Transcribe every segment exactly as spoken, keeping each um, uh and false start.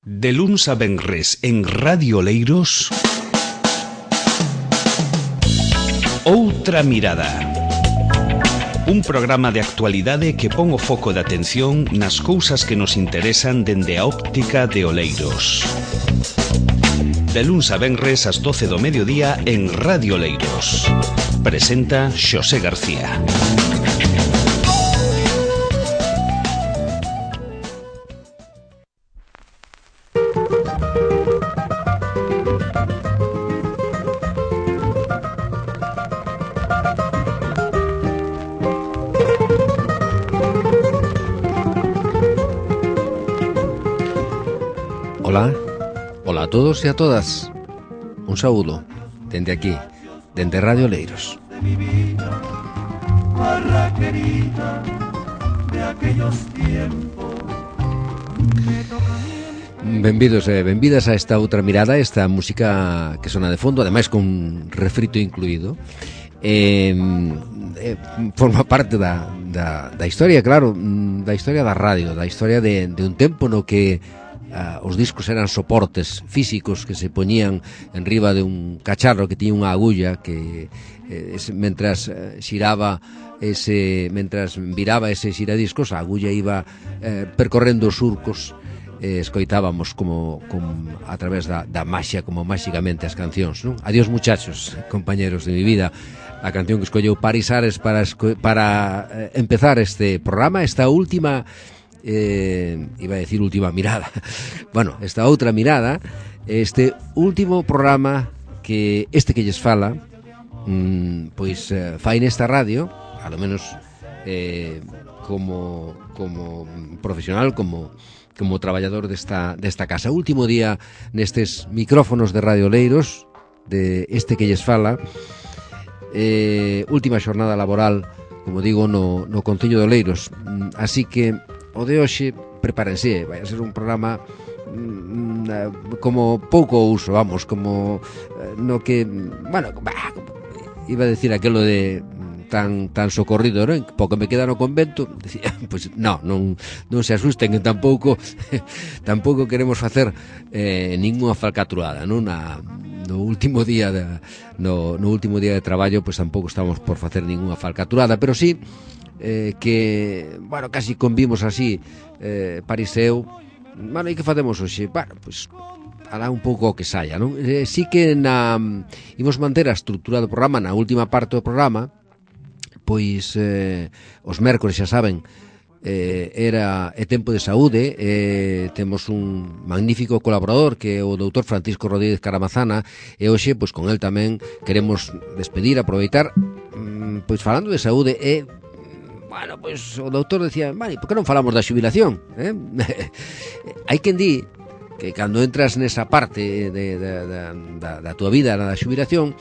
De luns a venres en Radio Oleiros, Outra Mirada. Un programa de actualidade que pon o foco de atención nas cousas que nos interesan dende a óptica de Oleiros. De luns a venres ás doce do mediodía en Radio Oleiros. Presenta Xosé García. Hola, hola a todos e a todas. Un saúdo dende aquí, dende Radio Oleiros. Benvidos e benvidas a esta outra mirada, esta música que sona de fondo, ademais con refrito incluído. Eh, eh, forma parte da, da, da historia, claro, da historia da radio, da historia de, de un tempo no que Uh, os discos eran soportes físicos que se poñían en riba de un cacharro que tiña unha agulla que eh, es, mentras eh, xiraba ese, mentras viraba ese xiradiscos, a agulla iba eh, percorrendo os surcos, eh, escoitábamos como, como a través da, da maxia, como máxicamente as cancións, non? Adiós muchachos, compañeros de mi vida, a canción que escolleu Paris Ares para, para eh, empezar este programa, esta última Eh, iba a decir última mirada bueno, esta outra mirada, este último programa que este que lles fala mmm, pois eh, fai nesta radio, a lo menos eh, como como profesional, como como traballador desta, desta casa. Último día nestes micrófonos de Radio Oleiros, de este que lles fala, eh, última xornada laboral, como digo, no, no Concello de Oleiros. Así que o de hoxe, prepárense, vai a ser un programa mm, como pouco uso, vamos, como no que, bueno, bah, iba a decir aquelo de tan tan socorrido, non? Pouco me queda no convento, decía, pois pues, no, non non se asusten, que tampouco tampouco queremos facer eh, ningunha falcatrulada, non? Na no último día de, no, no último día de traballo, pois pues, tampouco estamos por facer ningunha falcatrulada, pero sí Eh, que, bueno, casi convimos así, eh, Pariseu. Bueno, e que facemos hoxe? Bueno, pois, pues, alá un pouco o que saia, non? Eh, sí que na, imos manter a estrutura do programa na última parte do programa, pois eh, os mércores, xa saben, eh, era é tempo de saúde, eh, temos un magnífico colaborador que é o doutor Francisco Rodríguez Caramazana, e hoxe, pois con el tamén queremos despedir, aproveitar, mm, pois falando de saúde, e bueno, pois o doutor decía, vale, por que non falamos da xubilación? Eh? Hai quen di que cando entras nesa parte de, de, de, da, da tua vida, na da xubilación,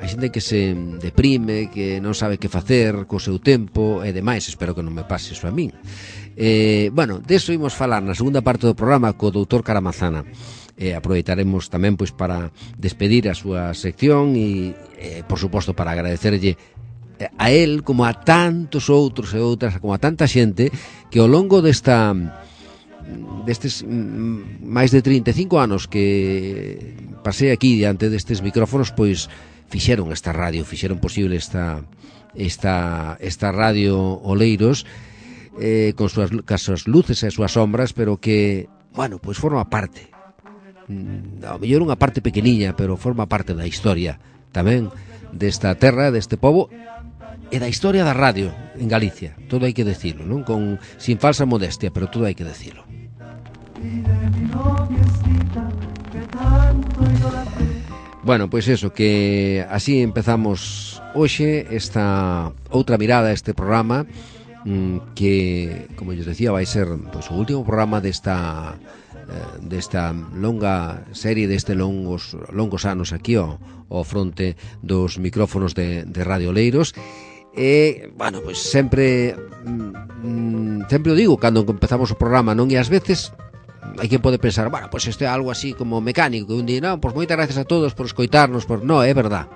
hai xente que se deprime, que non sabe que facer co seu tempo e demais. Espero que non me pase iso a min. Eh, bueno, deso imos falar na segunda parte do programa co doutor Caramazana. Eh, aproveitaremos tamén pois para despedir a súa sección e, eh, por suposto, para agradecerlle a él, como a tantos outros e outras, como a tanta xente que ao longo desta destes máis de trinta e cinco anos que pasei aquí diante destes micrófonos, pois fixeron esta radio, fixeron posible esta esta esta radio Oleiros, eh, con súas, súas luces e súas sombras, pero que, bueno, pois forma parte, ao mellor unha parte pequeniña, pero forma parte da historia tamén desta terra, deste pobo, e da historia da radio en Galicia. Todo hai que decirlo, non? Con, sin falsa modestia, pero todo hai que decirlo. Bueno, pois eso, que así empezamos hoxe esta outra mirada a este programa, que, como lles decía, vai ser pois, o último programa desta desta longa serie, deste longos longos anos aquí ao, ao fronte dos micrófonos de, de Radio Oleiros. E, bueno, pois sempre mm, sempre o digo cando empezamos o programa, non? E ás veces hai que pode pensar, bueno, pois isto é algo así como mecánico, que un día, non, pois moitas gracias a todos por escoitarnos, por... No, é verdad,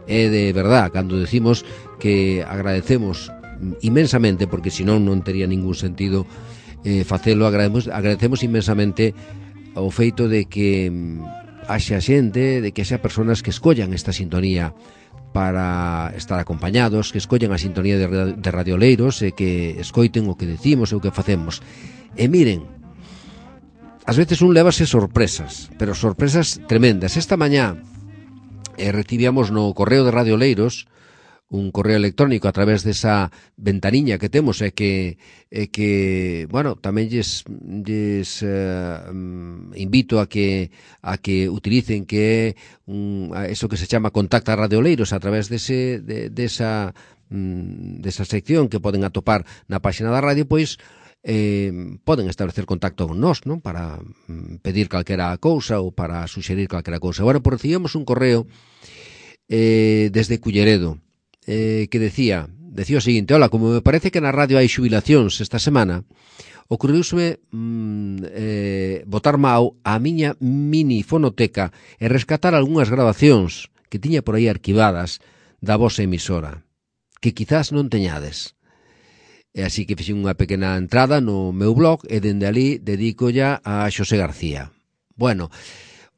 é de verdad cando decimos que agradecemos inmensamente, porque senón non tería ningún sentido eh, facelo, agradecemos, agradecemos inmensamente o feito de que haxa xente, de que haxa personas que escollan esta sintonía para estar acompañados, que escollen a sintonía de, de radioleiros e que escoiten o que decimos e o que facemos. E miren, ás veces un levase sorpresas, pero sorpresas tremendas. Esta mañá eh, recibíamos no correo de radioleiros un correo electrónico a través desa ventaniña que temos e que, e que bueno, tamén lles, lles eh, invito a que a que utilicen, que é un, eso que se chama Contacta Radioleiros a través dese, de, desa, desa sección que poden atopar na páxina da radio, pois eh, poden establecer contacto con nós, non? Para pedir calquera cousa ou para suxerir calquera cousa. Bueno, por recibimos un correo eh, desde Culleredo, Eh, que decía, decía o seguinte: hola, como me parece que na radio hai xubilacións esta semana, ocurriuseme mm, eh, botar mau a miña mini fonoteca e rescatar algunhas grabacións que tiña por aí arquivadas da vosa emisora, que quizás non teñades. E así que fixen unha pequena entrada no meu blog e dende ali dedico ya a Xosé García. Bueno,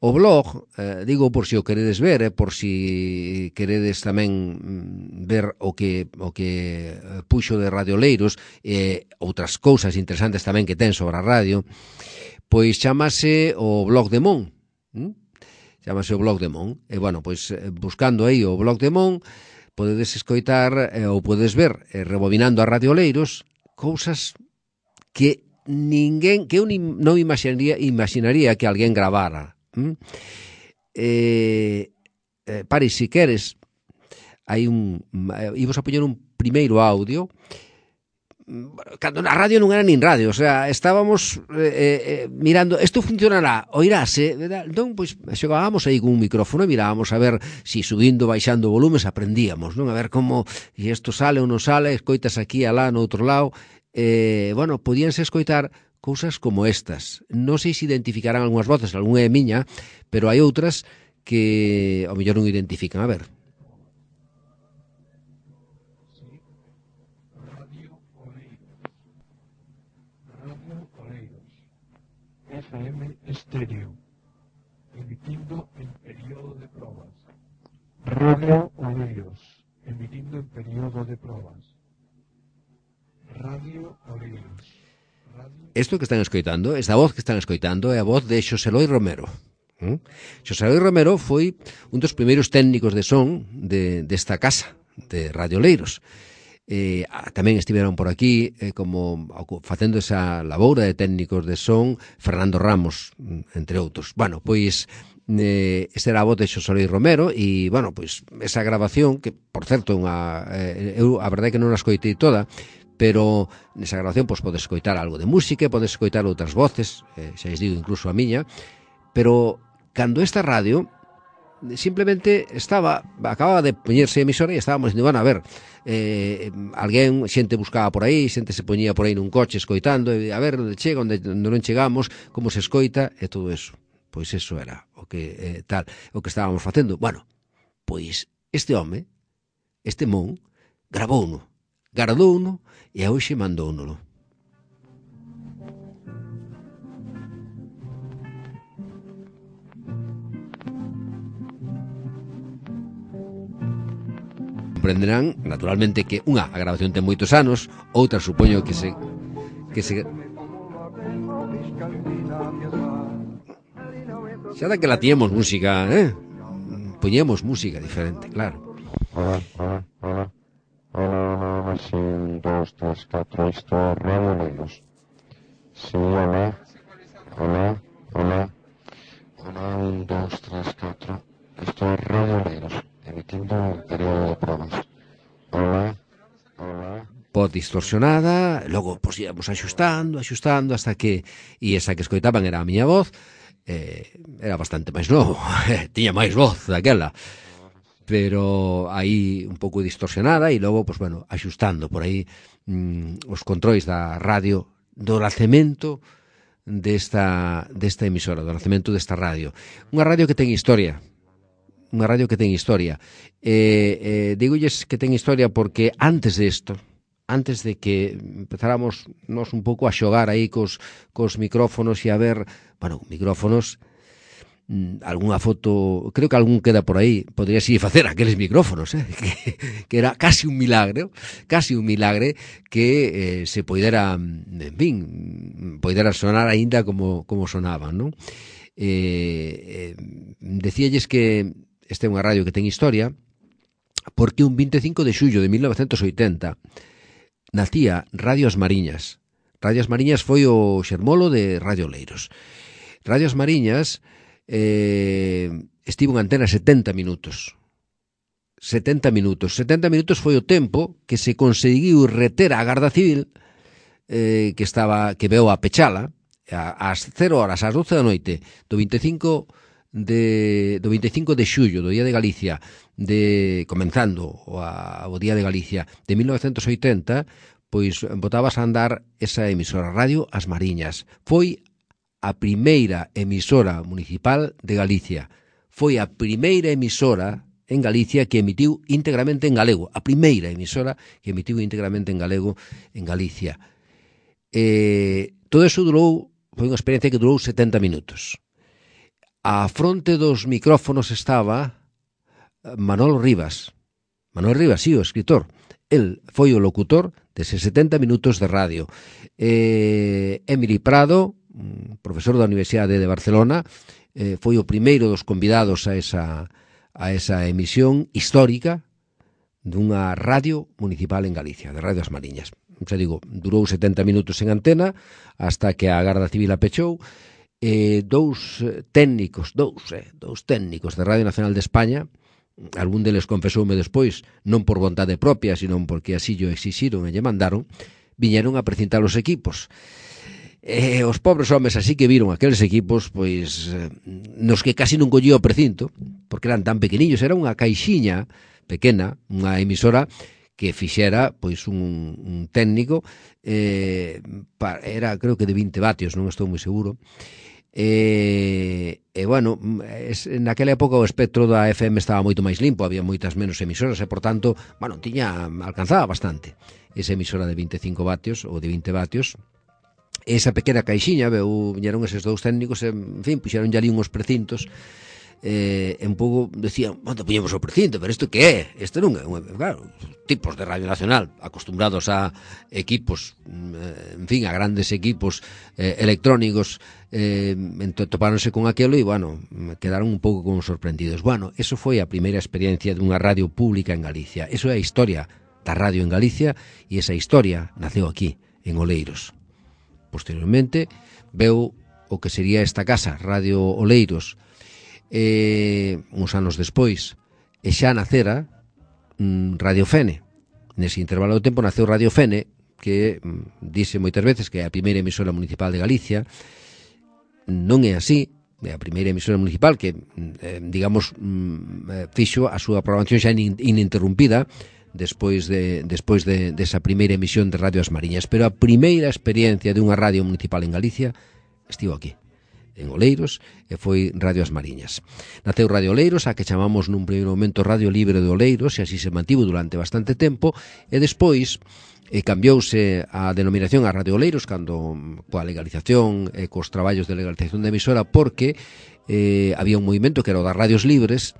o blog, eh, digo por si o queredes ver, eh, por si queredes tamén mm, ver o que o que puxo de radioleiros e eh, outras cousas interesantes tamén que ten sobre a radio, pois chamase o blog de Mon. ¿Mm? Chamase o blog de Mon. E, bueno, pois buscando aí o blog de Mon, podedes escoitar eh, ou podes ver, eh, rebobinando a radioleiros, cousas que ninguén, que eu non imaginaría, imaginaría que alguén gravara. Mm? Eh, eh, pare, si queres, hai un eh, íbamos a poñer un primeiro audio cando na radio non era nin radio, o sea, estábamos eh, eh, mirando, isto funcionará, oirase, entón, pois, xogábamos aí con un micrófono e mirábamos a ver si subindo, baixando volumes aprendíamos, non? A ver como, se isto sale ou non sale, escoitas aquí, alá, no outro lado, eh, bueno, podíanse escoitar cousas como estas. Non sei se identificarán algunhas voces, algunha é miña, pero hai outras que ao mellor non identifican. A ver. Radio Oleiros. Radio Oleiros. F M Estéreo. Emitindo en período de probas. Radio Oleiros. Emitindo en período de probas. Radio Oleiros. Isto que están escoitando, esta voz que están escoitando é a voz de Xosé Loi Romero. ¿Mm? Xosé Loi Romero foi un dos primeiros técnicos de son de, desta casa de radioleiros. Eh, tamén estiveron por aquí eh, como facendo esa laboura de técnicos de son Fernando Ramos, entre outros. Bueno, pois eh, esta era a voz de Xosé Loi Romero e, bueno, pois esa grabación que, por certo, unha, eh, eu a verdade é que non a escoitei toda, pero nesa grabación pois, podes escoitar algo de música, podes escoitar outras voces, eh, xa digo, incluso a miña, pero cando esta radio simplemente estaba, acababa de poñerse emisora e estábamos dicindo, bueno, a ver, eh, alguén, xente buscaba por aí, xente se poñía por aí nun coche escoitando, e a ver onde chega, onde non chegamos, como se escoita, e todo eso. Pois eso era o que eh, tal, o que estábamos facendo. Bueno, pois este home, este Mon, gravouno, gardouno, e a hoxe mandouno. Comprenderán, naturalmente, que unha, a grabación ten moitos anos, outra, supoño que se que se xa da que la tiñamos música, eh? Poñemos música diferente, claro. Hola, hola, hola. Hola, sí, un, dos, tres, cuatro, esto es radioleiros. Sí, hola, hola, hola, hola, un, dos, tres, cuatro, esto es radioleiros, emitiendo en periodo de pruebas. Hola, hola. Voz distorsionada, logo pois íamos axustando, axustando, hasta que, e esa que escoitaban era a miña voz, eh, era bastante máis novo, tiña máis voz daquela, pero aí un pouco distorsionada e logo, pois, bueno, axustando por aí mm, os controis da radio, do nacemento desta, desta emisora, do nacemento desta radio. Unha radio que ten historia, unha radio que ten historia. Eh, eh, digolles que ten historia porque antes de isto, antes de que empezáramos nos un pouco a xogar aí cos, cos micrófonos e a ver, bueno, micrófonos, algunha foto, creo que algún queda por aí, podría si facer aqueles micrófonos, eh? que, que era casi un milagre, casi un milagre que eh, se poidera, en fin, poidera sonar aínda como, como sonaban, non? Eh, eh, decíalles que esta é unha radio que ten historia, porque un veinticinco de xullo de mil novecentos oitenta nacía Radio As Mariñas. Radio As Mariñas foi o xermolo de Radio Oleiros. Radio As Mariñas eh, estivo en antena setenta minutos. setenta minutos. setenta minutos foi o tempo que se conseguiu reter a Garda Civil eh, que estaba que veu a pechala ás cero horas, ás doce da noite do veinticinco de, do veinticinco de xullo, do Día de Galicia, de comenzando o, a, o Día de Galicia de mil novecentos oitenta, pois botabas a andar esa emisora, Radio As Mariñas. Foi a primeira emisora municipal de Galicia. Foi a primeira emisora en Galicia que emitiu íntegramente en galego. A primeira emisora que emitiu íntegramente en galego en Galicia. Eh, todo eso durou, foi unha experiencia que durou setenta minutos. A fronte dos micrófonos estaba Manolo Rivas. Manolo Rivas, sí, o escritor. El foi o locutor deses setenta minutos de radio. Eh, Emily Prado, profesor da Universidade de Barcelona, eh, foi o primeiro dos convidados a esa, a esa emisión histórica dunha radio municipal en Galicia, de Radio As Mariñas. Xa digo, durou setenta minutos en antena hasta que a Garda Civil a pechou. Eh, dous técnicos, dous, eh, dous técnicos de Radio Nacional de España, algún deles confesoume despois, non por vontade propia, sino porque así yo exixiron e lle mandaron, viñeron a precintar os equipos. Eh, os pobres homes así que viron aqueles equipos, pois, eh, nos que casi non collía o precinto, porque eran tan pequeniños, era unha caixiña pequena, unha emisora que fixera, pois, un, un técnico, eh, para, era, creo que de vinte vatios, non estou moi seguro. E, e bueno, es, naquela época o espectro da F M estaba moito máis limpo, había moitas menos emisoras e, por tanto, bueno, tiña, alcanzaba bastante esa emisora de veinticinco vatios ou de vinte vatios. Esa pequena caixiña, veu, viñeron eses dous técnicos e, en fin, puxeron ya ali uns precintos eh, un pouco decían, onde puñemos o precinto, pero isto que é? Isto non é, claro, tipos de Radio Nacional acostumbrados a equipos, en fin, a grandes equipos eh, electrónicos, eh, topáronse con aquelo e, bueno, quedaron un pouco como sorprendidos. Bueno, eso foi a primeira experiencia dunha radio pública en Galicia. Eso é a historia da radio en Galicia e esa historia naceu aquí, en Oleiros. Posteriormente, veu o que sería esta casa, Radio Oleiros, eh, uns anos despois, e xa nacera mm, Radio Fene. Nese intervalo de tempo naceu Radio Fene, que mm, dice moitas veces que é a primeira emisora municipal de Galicia. Non é así, é a primeira emisora municipal que, eh, digamos, mm, fixo a súa programación xa ininterrumpida despois de despois de desa primeira emisión de Radio As Mariñas, pero a primeira experiencia dunha radio municipal en Galicia estivo aquí, en Oleiros, e foi Radio As Mariñas. Naceu Radio Oleiros, a que chamamos nun primeiro momento Radio Libre de Oleiros, e así se mantivo durante bastante tempo, e despois eh, cambiouse a denominación a Radio Oleiros cando coa legalización e cos traballos de legalización da emisora, porque eh, había un movimento que era o das radios libres,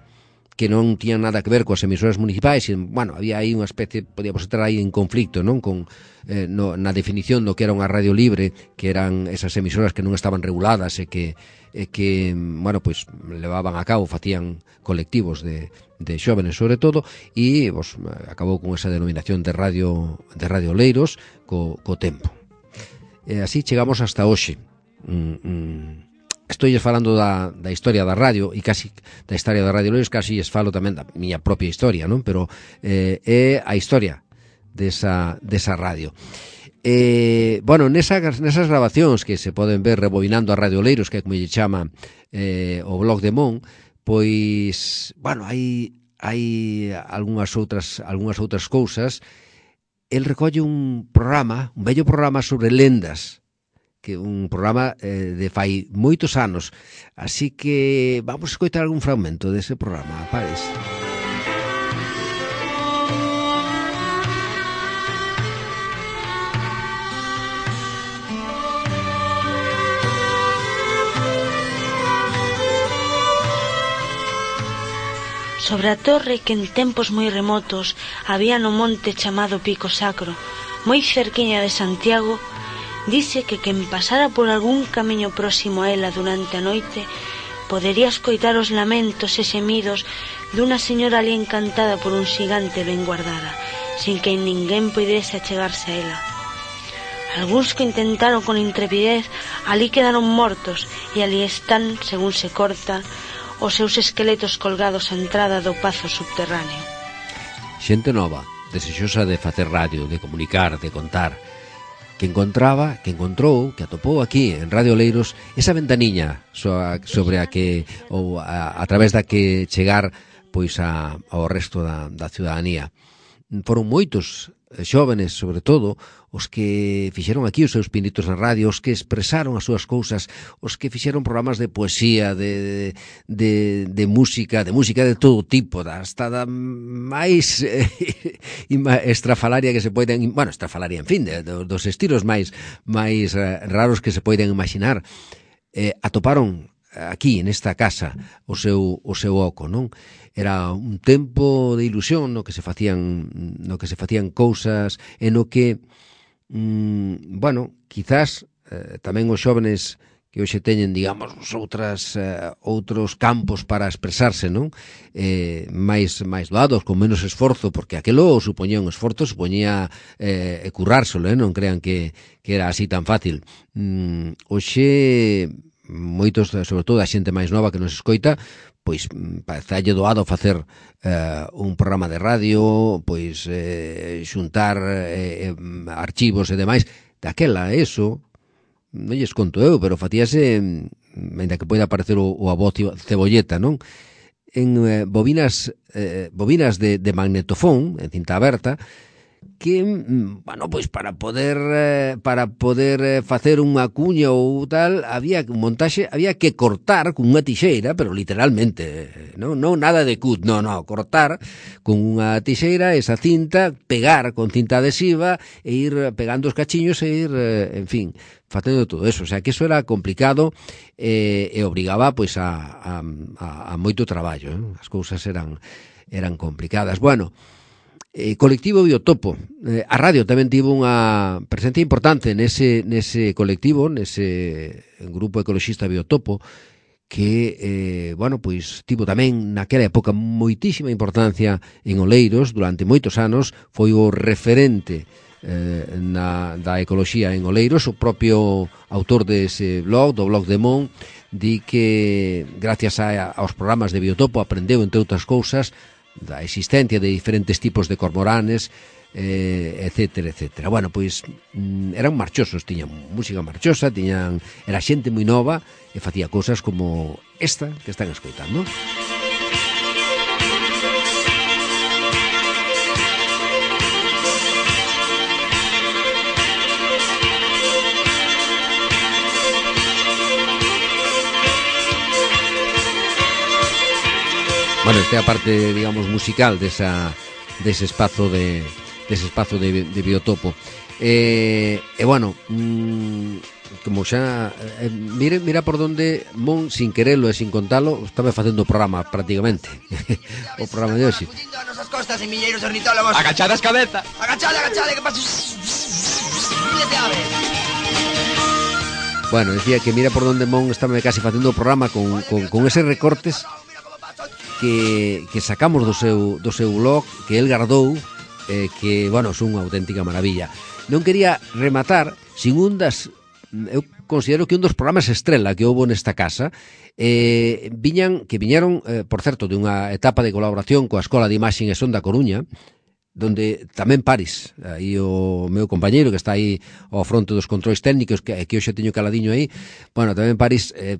que non tiñan nada que ver coas emisoras municipais, e, bueno, había aí unha especie, podíamos estar aí en conflicto, non, con eh, no, na definición do que era unha radio libre, que eran esas emisoras que non estaban reguladas e que, e que bueno, pois, levaban a cabo, facían colectivos de, de xóvenes sobre todo, e pues, acabou con esa denominación de radio de Radio Oleiros co, co tempo. E así chegamos hasta hoxe. Mm, mm. Estou falando da, da historia da radio e casi da historia da Radio Oleiros, casi es falo tamén da miña propia historia, non? Pero eh, é a historia desa, desa radio. Eh, bueno, nesas, nesas grabacións que se poden ver rebobinando a Radio Oleiros, que é como lle chama eh, o blog de Mon, pois, bueno, hai, hai algunhas outras, algunhas outras cousas. El recolle un programa, un bello programa sobre lendas, que un programa eh, de fai moitos anos. Así que vamos a escoitar algún fragmento dese programa, pares. Sobre a torre que en tempos moi remotos había no monte chamado Pico Sacro, moi cerquiña de Santiago, dice que quen pasara por algún camiño próximo a ela durante a noite podería escoitar os lamentos e xemidos dunha señora ali encantada por un xigante ben guardada, sin que ninguén puidese achegarse a ela. Algúns que intentaron con intrepidez ali quedaron mortos e ali están, según se corta, os seus esqueletos colgados á entrada do pazo subterráneo. Xente nova, desexosa de facer radio, de comunicar, de contar, que encontraba, que encontrou, que atopou aquí en Radio Oleiros esa ventaniña sobre a que, ou a, a través da que chegar pois a, ao resto da, da ciudadanía. Foron moitos xóvenes, sobre todo, os que fixeron aquí os seus pinitos na radio, os que expresaron as súas cousas, os que fixeron programas de poesía, de, de, de música, de música de todo tipo, hasta da máis eh, estrafalaria que se poiden, bueno, estrafalaria, en fin, de, de, dos estilos máis máis eh, raros que se poiden imaginar. Eh, atoparon aquí, nesta casa, o seu, o seu oco, non? Era un tempo de ilusión no que se facían no que se facían cousas e no que mm, bueno, quizás eh, tamén os xóvenes que hoxe teñen, digamos, outras eh, outros campos para expresarse, non? Eh, máis máis doados, con menos esforzo, porque aquelo supoñía un esforzo, supoñía eh, currárselo, eh? Non crean que, que era así tan fácil. Mm, hoxe moitos, sobre todo a xente máis nova que nos escoita, pois parece doado facer eh, un programa de radio, pois eh, xuntar eh, archivos e demais. Daquela, eso, non lles conto eu, pero facíase, ainda que poida aparecer o, o abocio cebolleta, non? En eh, bobinas eh, bobinas de, de magnetofón, en cinta aberta, que, bueno, pois para poder eh, para poder eh, facer unha cuña ou tal, había un montaxe, había que cortar con unha tixeira, pero literalmente, non, non nada de cut, non, non, cortar con unha tixeira esa cinta, pegar con cinta adhesiva e ir pegando os cachiños e ir, eh, en fin, facendo todo eso. O sea, que eso era complicado eh, e obrigaba pois a, a, a, a moito traballo, eh? As cousas eran eran complicadas. Bueno, Eh, colectivo Biotopo. Eh, a radio tamén tivo unha presencia importante nese, nese colectivo, nese grupo ecoloxista Biotopo, que, eh, bueno, pois tivo tamén naquela época moitísima importancia en Oleiros, durante moitos anos, foi o referente eh, na, da ecoloxía en Oleiros. O propio autor dese blog, do blog de Mon, di que gracias a, aos programas de Biotopo aprendeu, entre outras cousas, da existencia de diferentes tipos de cormoranes, eh, etcétera, etcétera. Bueno, pois mm, eran marchosos, tiñan música marchosa, tiñan, era xente moi nova e facía cousas como esta que están escoitando. Bueno, esta é a parte, digamos, musical desa, dese espazo de dese espazo de, de Biotopo. E, e bueno, mmm, como xa eh, mire, mira por donde Mon, sin querelo e sin contalo, estaba facendo o programa prácticamente. O programa de hoxe. A nosas costas en milleiros ornitólogos. Agachadas cabeza. Agachade, agachade, que pasa? Miles de aves. Bueno, decía que mira por donde Mon estaba casi facendo o programa con, con, con eses recortes que, que sacamos do seu, do seu blog, que el gardou, eh, que, bueno, son unha auténtica maravilla. Non quería rematar sin un das, eu considero que un dos programas estrela que houbo nesta casa, eh, viñan, que viñeron, eh, por certo, de unha etapa de colaboración coa Escola de Imaxe e Son da Coruña, donde tamén Paris, aí o meu compañeiro que está aí ao fronte dos controis técnicos, que, que hoxe teño caladiño aí, bueno, tamén Paris eh,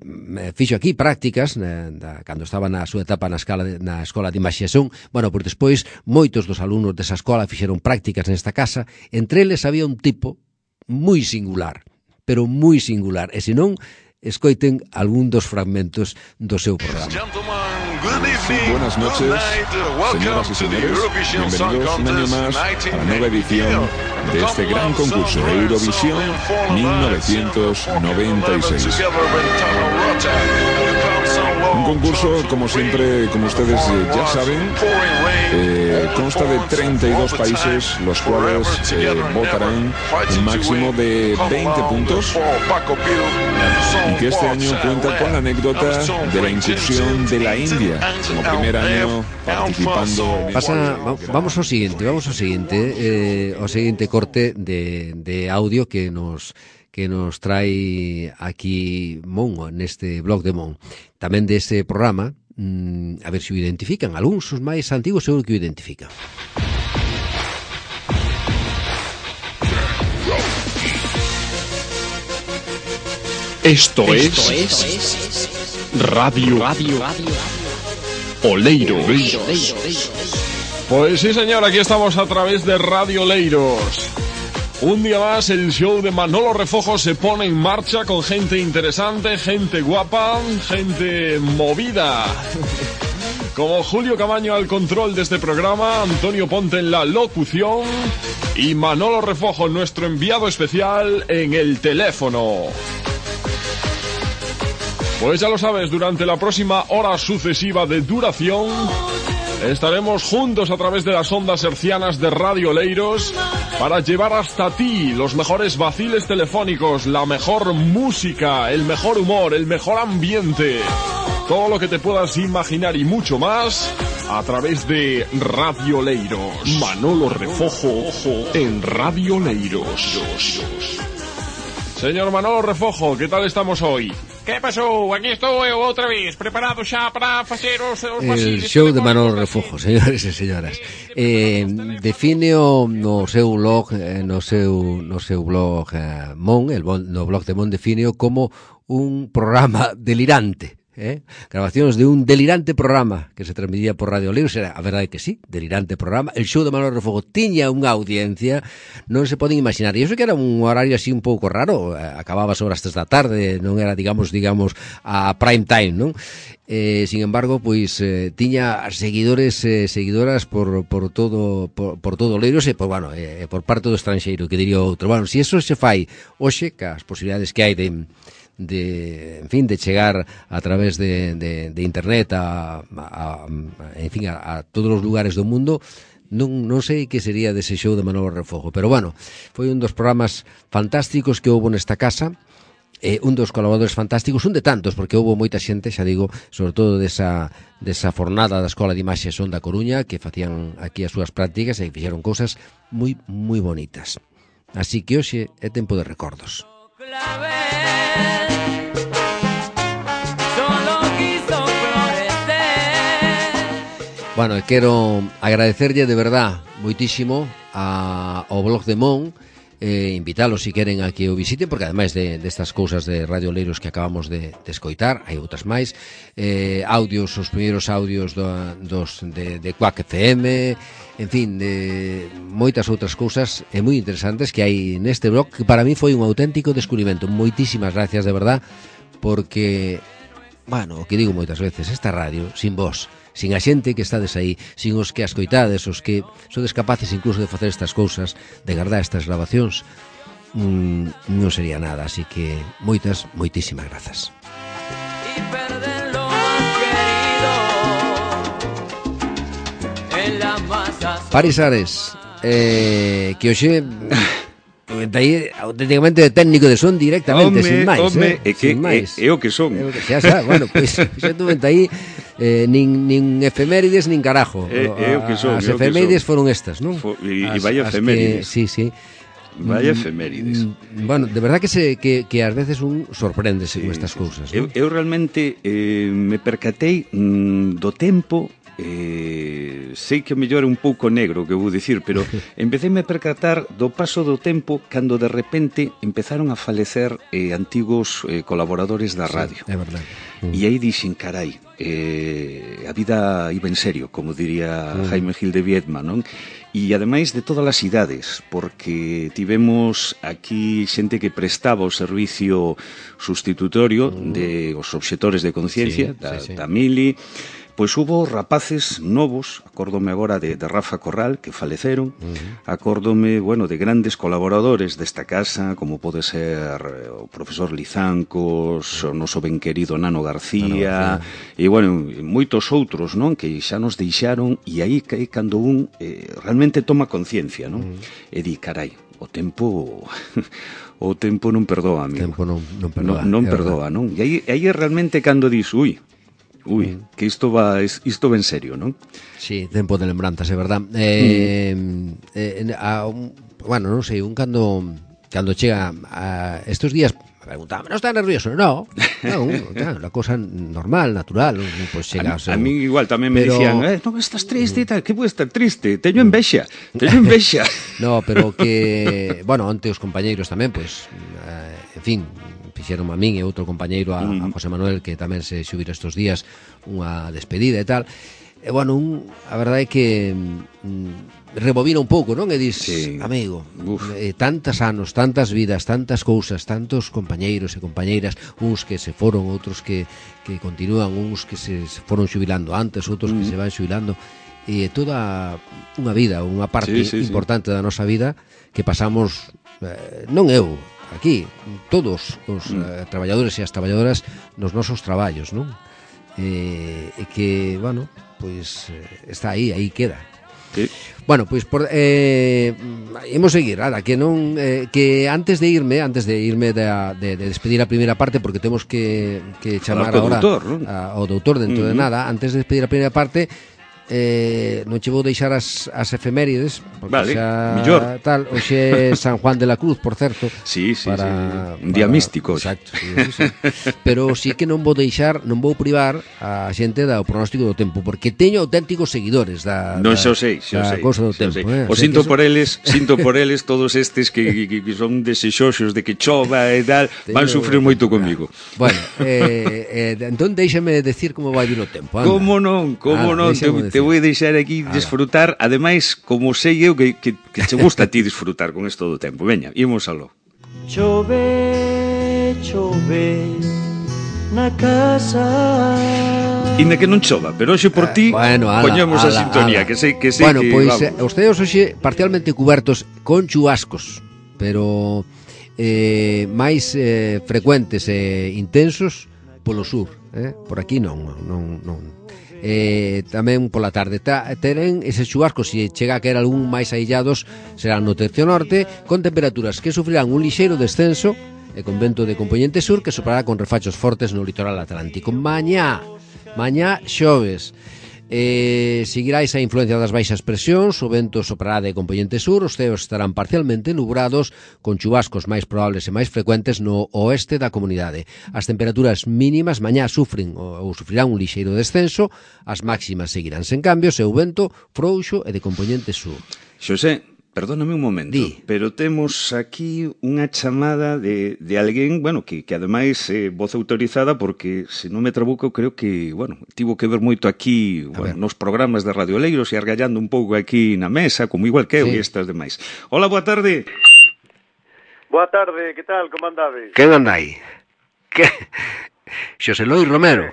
fixo aquí prácticas na, da, cando estaba na súa etapa na, escala de, na Escola de Imaxación. Bueno, pois despois moitos dos alumnos desa escola fixeron prácticas nesta casa, entre eles había un tipo moi singular, pero moi singular, e senón escoiten algún dos fragmentos do seu programa. Buenas noches, señoras y señores, bienvenidos un año más a la nueva edición de este gran concurso Eurovisión mil novecientos noventa y seis. Un concurso, como siempre, como ustedes eh, ya saben, eh, consta de treinta y dos países, los cuales eh, votarán un máximo de veinte puntos, y que este año cuenta con la anécdota de la incursión de la India como primer año participando. Pasa, vamos ao seguinte, vamos ao seguinte, eh, ao seguinte corte de, de audio que nos que nos trae aquí Mon neste blog de Mon. Tamén deste programa, mmm, a ver se o identifican. Algúns os máis antigos seguro que o identifican. Esto, Esto es, es Radio, Radio, Radio Oleiros. Pues sí, señor, aquí estamos a través de Radio Oleiros. Un día más el show de Manolo Refojo se pone en marcha con gente interesante, gente guapa, gente movida. Como Julio Camaño al control de este programa, Antonio Ponte en la locución y Manolo Refojo, nuestro enviado especial, en el teléfono. Pues ya lo sabes, durante la próxima hora sucesiva de duración estaremos juntos a través de las ondas hercianas de Radio Oleiros para llevar hasta ti los mejores vaciles telefónicos, la mejor música, el mejor humor, el mejor ambiente, todo lo que te puedas imaginar y mucho más a través de Radio Oleiros. Manolo Refojo en Radio Oleiros. Señor Manolo Refojo, ¿qué tal estamos hoy? ¿Qué pasó? Aquí estoy outra vez, preparado xa para facer os, os el show de Manolo Refojo, señores e señoras. Eh, defíneo no seu blog, no seu no seu blog eh, Mon, el no blog de Mon defíneo como un programa delirante. ¿Eh? Grabacións de un delirante programa que se transmitía por Radio Oleiros. Era, a verdade que sí, delirante programa. El show de Manolo Refogo tiña unha audiencia, non se poden imaginar. E iso que era un horario así un pouco raro, acababa sobre as tres da tarde, non era, digamos, digamos a prime time, non? Eh, sin embargo, pois eh, tiña seguidores e eh, seguidoras por, por todo por, por todo Oleiros e por, bueno, eh, por parte do estranxeiro, que diría outro. Bueno, se iso se fai hoxe, que as posibilidades que hai de de, en fin, de chegar a través de, de, de internet a, a, a en fin, a, a todos os lugares do mundo, non, non sei que sería dese show de Manolo Refogo, pero bueno, foi un dos programas fantásticos que houve nesta casa, eh, un dos colaboradores fantásticos, un de tantos, porque houve moita xente, xa digo, sobre todo desa, desa fornada da Escola de Imaxe Son da Coruña, que facían aquí as súas prácticas e fixeron cousas moi, moi bonitas. Así que hoxe é tempo de recordos. Bueno, quero agradecerlle de verdad moitísimo a, ao blog de Mon, eh, invitalos se queren a que o visiten, porque ademais de destas cousas de Radio Oleiros que acabamos de, de escoitar, hai outras máis, eh, audios, os primeiros audios do, dos de, de Quack F M, en fin, de moitas outras cousas e moi interesantes que hai neste blog, que para mí foi un auténtico descubrimento. Moitísimas gracias de verdad, porque, bueno, o que digo moitas veces, esta radio, sin vos, sin a xente que estades aí, sin os que as coitades, os que sodes capaces incluso de facer estas cousas, de guardar estas grabacións, mmm, non sería nada. Así que moitas, moitísimas grazas. Paris Ares, eh, que hoxe auténticamente de técnico de son directamente, home, sin máis, home, eh, é que sin máis. É, é o que son. É o que, xa, xa, bueno, pois xa tuve aí eh, nin, nin efemérides nin carajo. É, é o que son. As efemérides foron estas, non? Fo, e, e vai efemérides. Sí, sí. Vai efemérides. Bueno, de verdad que se que, que ás veces un sorpréndese sí, con estas sí, cousas, sí. ¿no? Eu, eu realmente eh, me percatei mm, do tempo. Eh, sei que o mellor é un pouco negro que vou dicir, pero empecéme a percatar do paso do tempo cando de repente empezaron a falecer eh, antigos eh, colaboradores da radio. Sí, é verdade. Mm. E aí dixen, carai, eh, a vida iba en serio, como diría mm. Jaime Gil de Viedma, non? E ademais de todas as idades, porque tivemos aquí xente que prestaba o servicio sustitutorio mm. de os obxectores de conciencia, sí, da, sí, sí. da Mili. Pois hubo rapaces novos, acórdome agora de, de Rafa Corral, que faleceron, uh-huh. acórdome, bueno, de grandes colaboradores desta casa, como pode ser o profesor Lizancos, o noso ben querido Nano García, Nano García. E, bueno, moitos outros, non? Que xa nos deixaron, e aí que cando un eh, realmente toma conciencia, non? Uh-huh. E di, carai, o tempo o tempo non perdoa, amigo. O tempo non, non perdoa. Non, non perdoa, non? E aí, aí é realmente cando dis, ui, ui, mm. que isto va isto va en serio, non? Sí, tempo de lembranzas, é verdad. Eh, mm. eh, a, un, bueno, non sei, un cando cando chega a estes días preguntaba, ¿no está nervioso? No, no, claro, la cosa normal, natural, pues chega, a, a mí igual tamén me pero... dicían, eh, no, estás triste e tal, que puedes estar triste, teño envexa, teño envexa. No, pero que, bueno, onte os compañeiros tamén, pues, eh, en fin, fixeron a min e outro compañeiro, a, a José Manuel, que tamén se xubira estes días unha despedida e tal. E, bueno, un, a verdade é que mm, rebobina un pouco, non? E dis, sí. amigo, eh, tantas anos, tantas vidas, tantas cousas, tantos compañeiros e compañeiras, uns que se foron, outros que, que continúan, uns que se, se foron xubilando antes, outros mm. que se van xubilando, e toda unha vida, unha parte sí, sí, importante sí. da nosa vida que pasamos, eh, non eu, aquí, todos os mm. eh, traballadores e as traballadoras nos nosos traballos, non? E eh, que, bueno, pois eh, está aí, aí queda. Sí. Bueno, pois por, eh, imos seguir, nada, que non eh, que antes de irme, antes de irme de, de, de despedir a primeira parte, porque temos que, que chamar agora ao doutor dentro uh-huh. de nada, antes de despedir a primeira parte, eh, non che vou deixar as, as efemérides, porque vale, xa millor. Tal, hoxe é San Juan de la Cruz, por certo. Sí, sí, para, sí. Un día para, místico. Exacto, sí, sí, sí. Pero sí que non vou deixar, non vou privar a xente do pronóstico do tempo, porque teño auténticos seguidores da, non xo sei, xo sei, cosa do tempo. Eh? O, o sinto por eles, sinto por eles todos estes que, que, que son desexosos de que chova e tal, teño... van sufrir moito comigo. Bueno, eh, eh, entón déixame decir como vai vir o tempo. Anda. Como non, como ah, non, te, te vou deixar aquí ah, disfrutar, ademais, como sei eu que, que, que te gusta a ti disfrutar con isto do tempo. Veña, imos aló. Chove, chove na casa. Inda que non chova, pero hoxe por ti eh, bueno, ala, poñemos ala, a sintonía, ala. que sei que sei bueno, que pois eh, os teos hoxe parcialmente cubertos con chubascos, pero eh, máis eh, frecuentes e intensos polo sur, eh? Por aquí non, non, non. Eh, tamén pola tarde ta, teren eses chubascos, se chega a caer algún máis aillados, serán no tercio norte, con temperaturas que sufrirán un lixeiro descenso e con vento de compoñente sur que soprará con refachos fortes no litoral atlántico. Mañá, mañá xoves, eh, seguirá esa influencia das baixas presións, o vento soprará de compoñente sur, os ceos estarán parcialmente nubrados, con chubascos máis probables e máis frecuentes no oeste da comunidade. As temperaturas mínimas mañá sufren ou sufrirán un lixeiro descenso, as máximas seguirán sen cambios e o vento frouxo e de compoñente sur. Xosé, perdóname un momento, Di. pero temos aquí unha chamada de, de alguén, bueno, que, que ademais é eh, voz autorizada, porque, se non me trabuco, creo que, bueno, tivo que ver moito aquí, bueno, nos programas de Radio Oleiros e argallando un pouco aquí na mesa, como igual que eu sí. e estas demais. Hola, boa tarde. Boa tarde, que tal, como andades? Quen anda aí? Que? Xosé Lois Romero.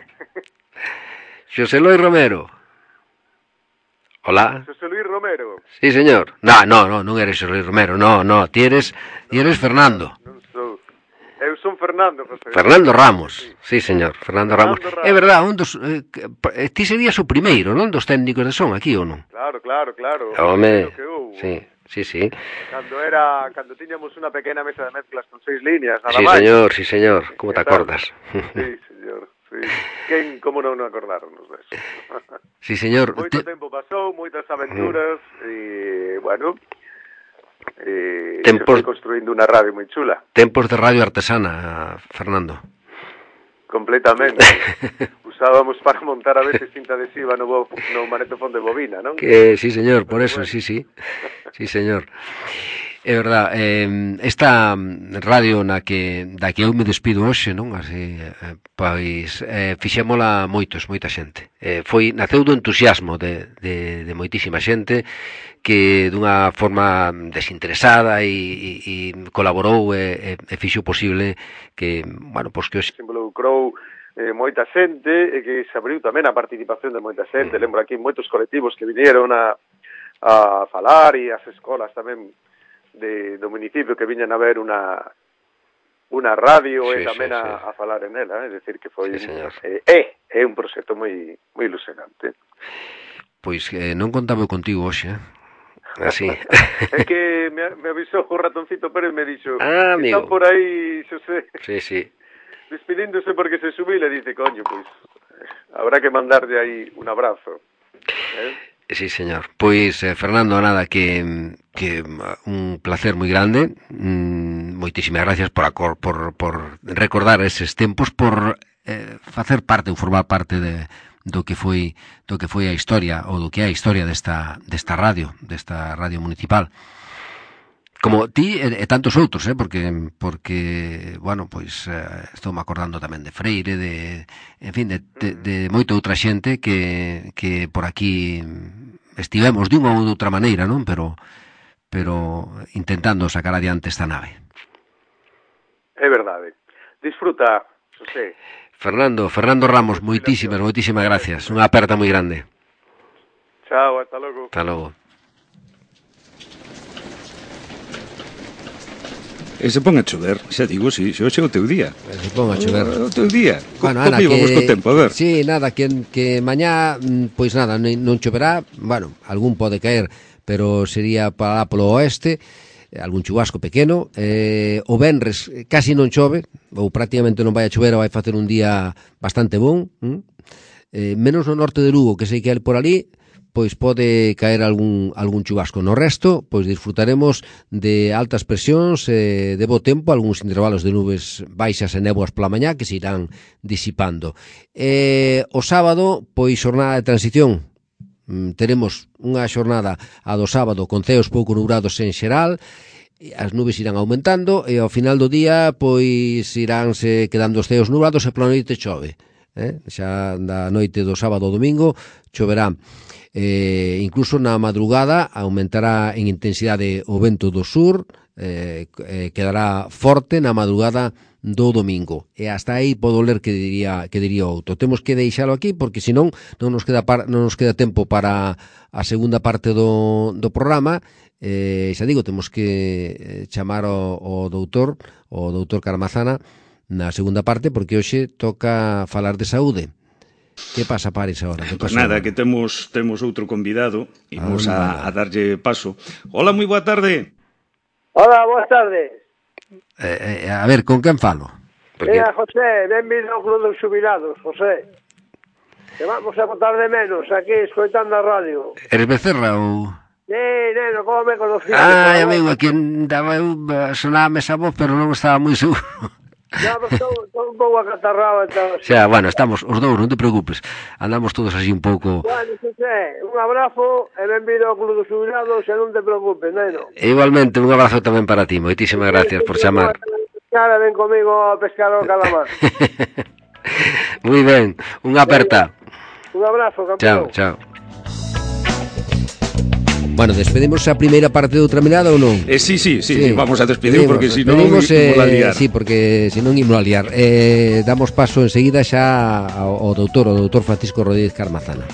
Xosé Lois Romero. Hola. José Luis Romero. Sí, señor. No, no, no, non eres José Luis Romero, no, no, ti eres, ti eres Fernando. Non sou. Eu son Fernando, José. Fernando Ramos. Sí, sí señor, Fernando, Fernando Ramos. Ramos. É verdad, un dos eh, ti serías o primeiro, non, dos técnicos de son aquí ou non? Claro, claro, claro. Home. Sí, sí, sí. Cando era, cando tiñamos unha pequena mesa de mezclas con seis líneas, nada sí, máis. Sí, señor, sí, señor. Como te acordas? Sí, señor. Sí. Quen, como non acordarnos deso? Sí, señor. Moito tempo pasou, moitas aventuras e, bueno, e tempos... estoy construindo unha radio moi chula. Tempos de radio artesana, Fernando. Completamente. Usábamos para montar a veces cinta adhesiva no, bo, no manetofón de bobina, non? Que, sí, señor, por eso, bueno. sí, sí. Sí, señor. É verdad, eh, esta radio na que da que eu me despido hoxe, non? Así, eh, pois eh, fixémola moitos, moita xente. Eh, foi naceu do entusiasmo de, de, de moitísima xente que dunha forma desinteresada e, e, e colaborou e, e fixo posible que, bueno, pois que hoxe se involucrou eh, moita xente, e que se abriu tamén a participación de moita xente. Lembro aquí moitos colectivos que vinieron a, a falar, e as escolas tamén de, do municipio que viñan a ver una unha radio sí, e tamén sí, a, sí. a falar en ela, é dicir que foi sí, é, é, é un proxecto moi moi ilusionante. Pois eh, non contaba contigo hoxe, eh? Así. É que me, me avisou o ratoncito Pérez e me dixo ah, que está por aí, Xosé. Sí, sí. Despedíndose porque se subí, le dice, coño, pois habrá que mandarle aí un abrazo. ¿Eh? Sí, señor. Pois, eh, Fernando, nada, que, que un placer moi grande. Mm, moitísimas gracias por, acor, por, por recordar eses tempos, por eh, facer parte ou formar parte de, do que foi do que foi a historia ou do que é a historia desta, desta radio, desta radio municipal. Como ti e, e tantos outros, eh, porque, porque bueno, pois eh, estou me acordando tamén de Freire, de, en fin, de, de, de moita outra xente que, que por aquí estivemos de unha ou de outra maneira, non? Pero, pero intentando sacar adiante esta nave. É verdade. Disfruta, José. Fernando, Fernando Ramos, moitísimas, moitísimas gracias. Unha aperta moi grande. Chao, hasta logo. Hasta logo. E se pon a chover, xa digo, si, xe é o teu día. Se pon a chover. O teu día. Bueno, Ana, que... co tempo, a ver. Sí, nada, que, que mañá, pois nada, non choverá, bueno, algún pode caer, pero sería para lá polo oeste, algún chubasco pequeno, eh, o venres casi non chove, ou prácticamente non vai a chover, vai facer un día bastante bon, hm? eh, menos no norte de Lugo, que sei que é por ali, pois pode caer algún algún chubasco. No resto, pois disfrutaremos de altas presións, eh, de bo tempo, algúns intervalos de nubes baixas e néboas pola mañá que se irán disipando. Eh, o sábado, pois xornada de transición. Mm, teremos unha xornada a do sábado con ceos pouco nubrados en xeral, as nubes irán aumentando e ao final do día pois iránse quedando os ceos nubrados e pola noite chove. Eh? Xa da noite do sábado ao domingo choverá. Eh, incluso na madrugada aumentará en intensidade o vento do sur, eh, eh, quedará forte na madrugada do domingo, e hasta aí podo ler que diría que diría outro. Temos que deixalo aquí porque senón non nos queda par, non nos queda tempo para a segunda parte do, do programa. Eh, xa digo, temos que chamar o, o doutor, o doutor Carmazana na segunda parte porque hoxe toca falar de saúde. Que pasa, Paris, agora? Pues nada, que temos temos outro convidado. Imos ah, a, a darlle paso. Hola, moi boa tarde. Hola, boas tardes. Eh, eh, a ver, con quen falo? Porque... Mira, José, benvido ao Club dos Xubilados, José. Que vamos a botar de menos aquí, escoitando a radio. Eres Becerra ou...? Sí, neno, como me conociste? Ai, amigo, aquí daba eu sonaba esa voz, pero non estaba moi seguro. Ya, pero estou, estou un pouco acatarrado. O sea, bueno, estamos os dous, non te preocupes. Andamos todos así un pouco... Bueno, José, un abrazo e benvido ao Club dos Xubilados e non te preocupes, neno. Igualmente, un abrazo tamén para ti. Moitísimas gracias por chamar. Cara, ven comigo a pescar o calamar. Moi ben, unha aperta. Un abrazo, campeón. Chao, chao. Bueno, despedimos a primeira parte de outra mirada ou non? Eh, sí, sí, sí, sí, vamos a despedir porque si non imos eh, a liar. Sí, porque si non imos a liar. Eh, damos paso enseguida xa ao, ao doutor, o doutor Francisco Rodríguez Carmazana.